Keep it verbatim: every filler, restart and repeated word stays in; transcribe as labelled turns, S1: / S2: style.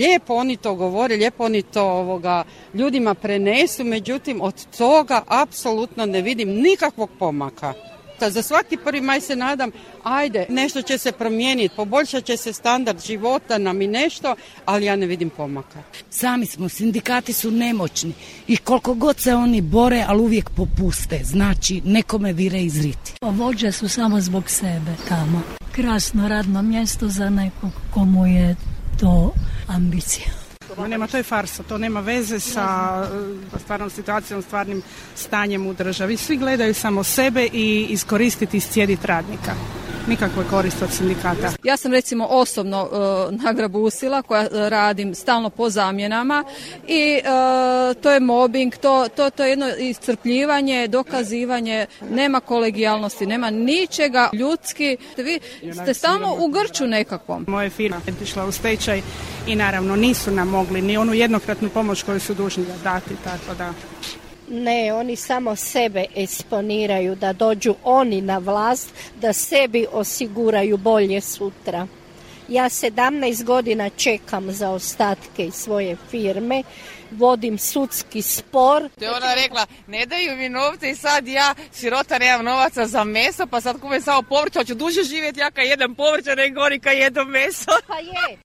S1: Lijepo oni to govore, lijepo oni to ovoga, ljudima prenesu, međutim od toga apsolutno ne vidim nikakvog pomaka. Za svaki prvi maj se nadam, ajde, nešto će se promijeniti, poboljšat će se standard života nam i nešto, ali ja ne vidim pomaka.
S2: Sami smo, sindikati su nemoćni i koliko god se oni bore, ali uvijek popuste, znači nekome vire izriti.
S3: Vođe su samo zbog sebe tamo. Krasno radno mjesto za nekog komu je to ambicija.
S4: Ma nema, to je farsa, to nema veze sa stvarnom situacijom, stvarnim stanjem u državi. Svi gledaju samo sebe i iskoristiti, iscijediti radnika. Nikakve koriste od sindikata.
S5: Ja sam recimo osobno uh, nagrabusila koja uh, radim stalno po zamjenama i uh, to je mobbing, to, to, to je jedno iscrpljivanje, dokazivanje, nema kolegijalnosti, nema ničega ljudski. Vi ste stalno u grču nekakvom.
S4: Moje firma je išla u stečaj i naravno nisu nam mogli ni onu jednokratnu pomoć koju su dužni dati, tako da...
S6: Ne, oni samo sebe eksponiraju, da dođu oni na vlast, da sebi osiguraju bolje sutra. Ja sedamnaest godina čekam za ostatke iz svoje firme, vodim sudski spor.
S7: To je ona rekla, ne daju mi novce i sad ja, sirota, nemam novaca za meso, pa sad kupim samo povrće, hoću duže živjeti, ja kad jedem povrće, nego oni kad jedem meso.
S6: Pa je.